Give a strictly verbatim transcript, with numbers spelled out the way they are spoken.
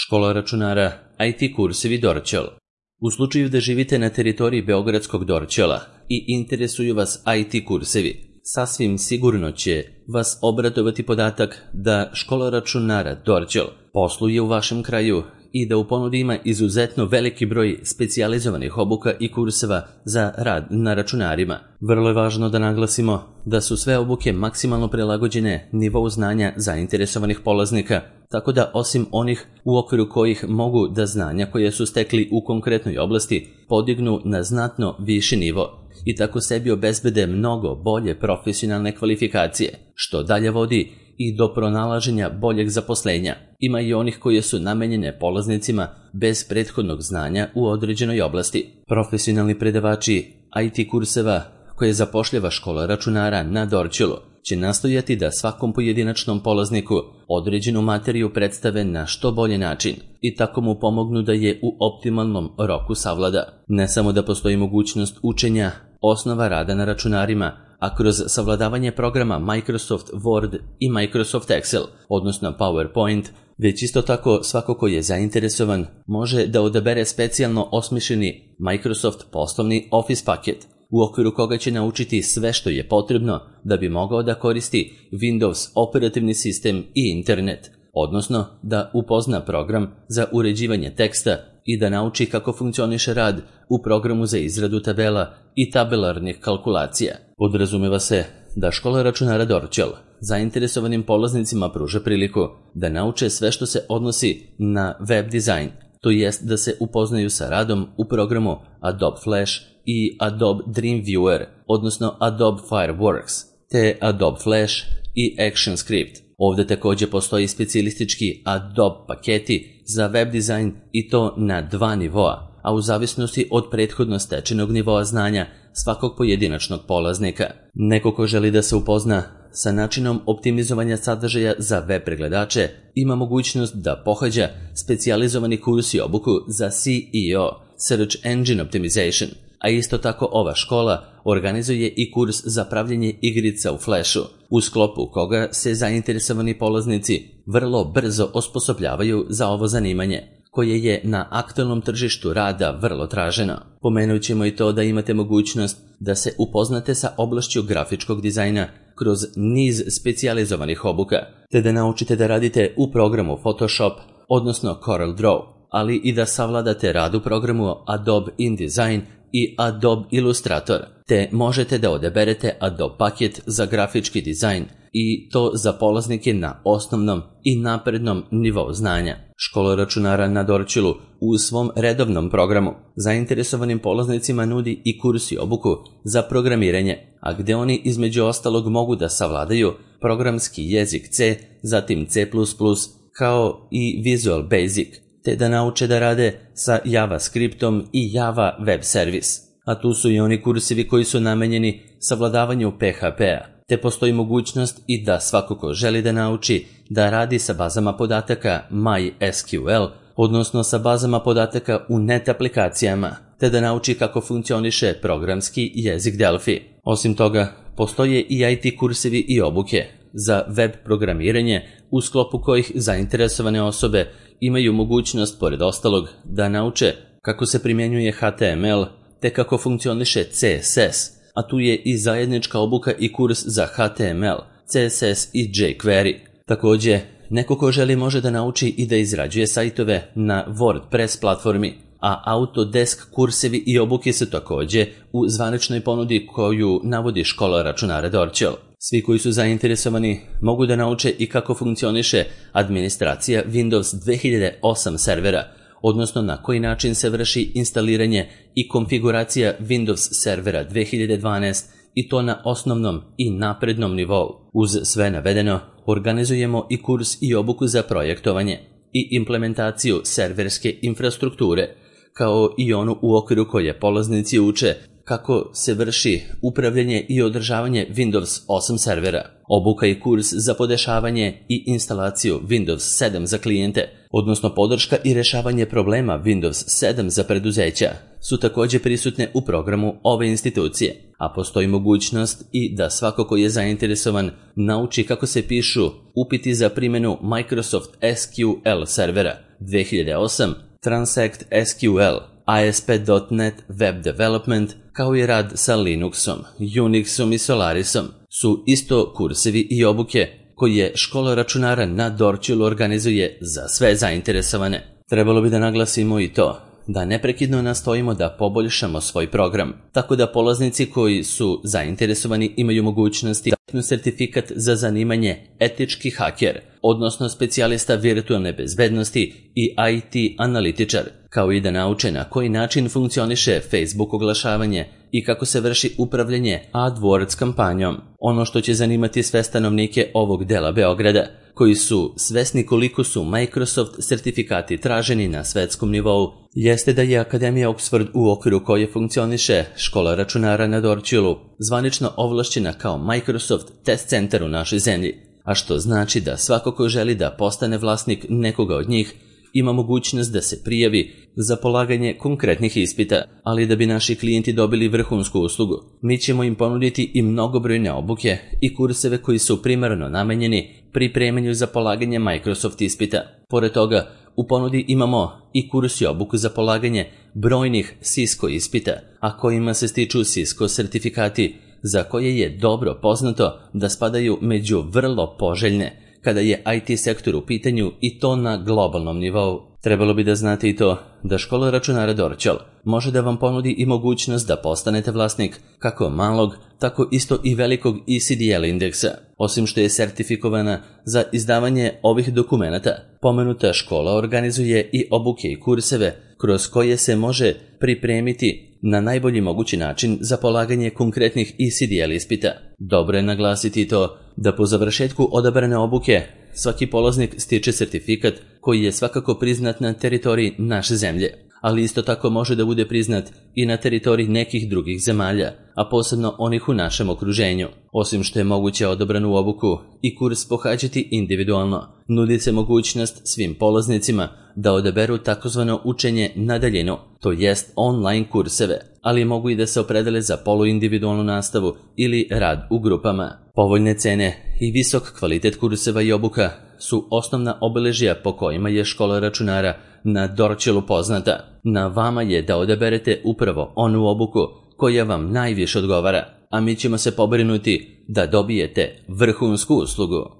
Škola računara I T kursevi Dorćol. U slučaju da živite na teritoriji Beogradskog Dorćola i interesuju vas I T kursevi, sasvim sigurno će vas obradovati podatak da Škola računara Dorćol posluje u vašem kraju i da u ponudi ima izuzetno veliki broj specijalizovanih obuka i kurseva za rad na računarima. Vrlo je važno da naglasimo da su sve obuke maksimalno prilagođene nivou znanja zainteresovanih polaznika, tako da osim onih u okviru kojih mogu da znanja koje su stekli u konkretnoj oblasti podignu na znatno viši nivo i tako sebi obezbede mnogo bolje profesionalne kvalifikacije, što dalje vodi i do pronalaženja boljeg zaposlenja. Ima i onih koje su namenjene polaznicima bez prethodnog znanja u određenoj oblasti. Profesionalni predavači I T kurseva koje zapošljava Škola računara na Dorćolu će nastojati da svakom pojedinačnom polazniku određenu materiju predstave na što bolji način i tako mu pomognu da je u optimalnom roku savlada. Ne samo da postoji mogućnost učenja osnova rada na računarima, a kroz savladavanje programa Microsoft Word i Microsoft Excel, odnosno PowerPoint, već isto tako svako ko je zainteresovan može da odabere specijalno osmišljeni Microsoft poslovni Office paket, u okviru koga će naučiti sve što je potrebno da bi mogao da koristi Windows operativni sistem i internet, odnosno da upozna program za uređivanje teksta i da nauči kako funkcioniše rad u programu za izradu tabela i tabelarnih kalkulacija. Podrazumeva se da Škola računara Dorćol zainteresovanim polaznicima pruža priliku da nauče sve što se odnosi na web dizajn, to jest da se upoznaju sa radom u programu Adobe Flash i Adobe Dreamweaver, odnosno Adobe Fireworks, te Adobe Flash i ActionScript. Ovdje također postoji specijalistički Adobe paketi za web dizajn i to na dva nivoa, a u zavisnosti od prethodno stečenog nivoa znanja svakog pojedinačnog polaznika. Neko ko želi da se upozna sa načinom optimizovanja sadržaja za web pregledače ima mogućnost da pohađa specijalizovani kurs i obuku za S E O, Search Engine Optimization, a isto tako ova škola organizuje i kurs za pravljenje igrica u Flashu, u sklopu koga se zainteresovani polaznici vrlo brzo osposobljavaju za ovo zanimanje, koje je na aktualnom tržištu rada vrlo traženo. Pomenut ćemo i to da imate mogućnost da se upoznate sa oblašću grafičkog dizajna kroz niz specijalizovanih obuka, te da naučite da radite u programu Photoshop, odnosno CorelDRAW, ali i da savladate rad u programu Adobe InDesign i Adobe Illustrator, te možete da odaberete Adobe paket za grafički dizajn i to za polaznike na osnovnom i naprednom nivou znanja. Škola računara na Dorćolu u svom redovnom programu zainteresovanim polaznicima nudi i kurs i obuku za programiranje, a gde oni između ostalog mogu da savladaju programski jezik C, zatim C plus plus, kao i Visual Basic, te da nauče da rade sa JavaScriptom i Java Web Service. A tu su i oni kursevi koji su namenjeni savladavanju P H P-a, te postoji mogućnost i da svako ko želi da nauči da radi sa bazama podataka MySQL, odnosno sa bazama podataka u net aplikacijama, te da nauči kako funkcioniše programski jezik Delphi. Osim toga, postoje i I T kursevi i obuke za web programiranje, u sklopu kojih zainteresovane osobe imaju mogućnost, pored ostalog, da nauče kako se primjenjuje H T M L, te kako funkcioniše C S S, a tu je i zajednička obuka i kurs za H T M L, C S S i jQuery. Također, neko ko želi može da nauči i da izrađuje sajtove na WordPress platformi, a Autodesk kursevi i obuke su također u zvaničnoj ponudi koju navodi Škola računara Dorćol. Svi koji su zainteresovani mogu da nauče i kako funkcioniše administracija Windows dve hiljade osam servera, odnosno na koji način se vrši instaliranje i konfiguracija Windows servera dve hiljade dvanaest i to na osnovnom i naprednom nivou. Uz sve navedeno, organizujemo i kurs i obuku za projektovanje i implementaciju serverske infrastrukture, kao i onu u okviru koje polaznici uče kako se vrši upravljanje i održavanje Windows osam servera, obuka i kurs za podešavanje i instalaciju Windows sedam za klijente, odnosno podrška i rešavanje problema Windows sedam za preduzeća, su također prisutne u programu ove institucije, a postoji mogućnost i da svako ko je zainteresovan nauči kako se pišu upiti za primjenu Microsoft S Q L servera, dve hiljade osam, Transact S Q L, A S P dot net Web Development, kao i rad sa Linuxom, Unixom i Solarisom su isto kursevi i obuke koje škola računara na Dorćolu organizuje za sve zainteresovane. Trebalo bi da naglasimo i to da neprekidno nastojimo da poboljšamo svoj program, tako da polaznici koji su zainteresovani imaju mogućnosti da steknu sertifikat za zanimanje etički haker, odnosno specijalista virtualne bezbednosti i I T analitičar, kao i da nauče na koji način funkcioniše Facebook oglašavanje i kako se vrši upravljanje AdWords kampanjom. Ono što će zanimati sve stanovnike ovog dela Beograda, koji su svesni koliko su Microsoft sertifikati traženi na svetskom nivou, jeste da je Akademija Oxford, u okviru koje funkcioniše škola računara na Dorćolu, zvanično ovlašćena kao Microsoft test centar u našoj zemlji, a što znači da svako ko želi da postane vlasnik nekoga od njih ima mogućnost da se prijavi za polaganje konkretnih ispita, ali da bi naši klijenti dobili vrhunsku uslugu, mi ćemo im ponuditi i mnogobrojne obuke i kurseve koji su primarno namenjeni pripremanju za polaganje Microsoft ispita. Pored toga, u ponudi imamo i kurs i obuku za polaganje brojnih Cisco ispita, a kojima se stiču Cisco sertifikati, za koje je dobro poznato da spadaju među vrlo poželjne kada je I T sektor u pitanju, i to na globalnom nivou. Trebalo bi da znate i to da škola računara Dorćol može da vam ponudi i mogućnost da postanete vlasnik kako malog, tako isto i velikog E C D L indeksa. Osim što je sertifikovana za izdavanje ovih dokumenata, pomenuta škola organizuje i obuke i kurseve kroz koje se može pripremiti na najbolji mogući način za polaganje konkretnih E C D L ispita. Dobro je naglasiti to da po završetku odabrane obuke svaki polaznik stiče sertifikat koji je svakako priznat na teritoriji naše zemlje, ali isto tako može da bude priznat i na teritoriji nekih drugih zemalja, a posebno onih u našem okruženju. Osim što je moguće odabranu obuku i kurs pohađati individualno, nudi se mogućnost svim polaznicima da odaberu takozvano učenje na daljinu, to jest online kurseve, ali mogu i da se opredele za poluindividualnu nastavu ili rad u grupama. Povoljne cene i visok kvalitet kurseva i obuka su osnovna obeležja po kojima je škola računara na Dorćolu poznata. Na vama je da odaberete upravo onu obuku koja vam najviše odgovara, a mi ćemo se pobrinuti da dobijete vrhunsku uslugu.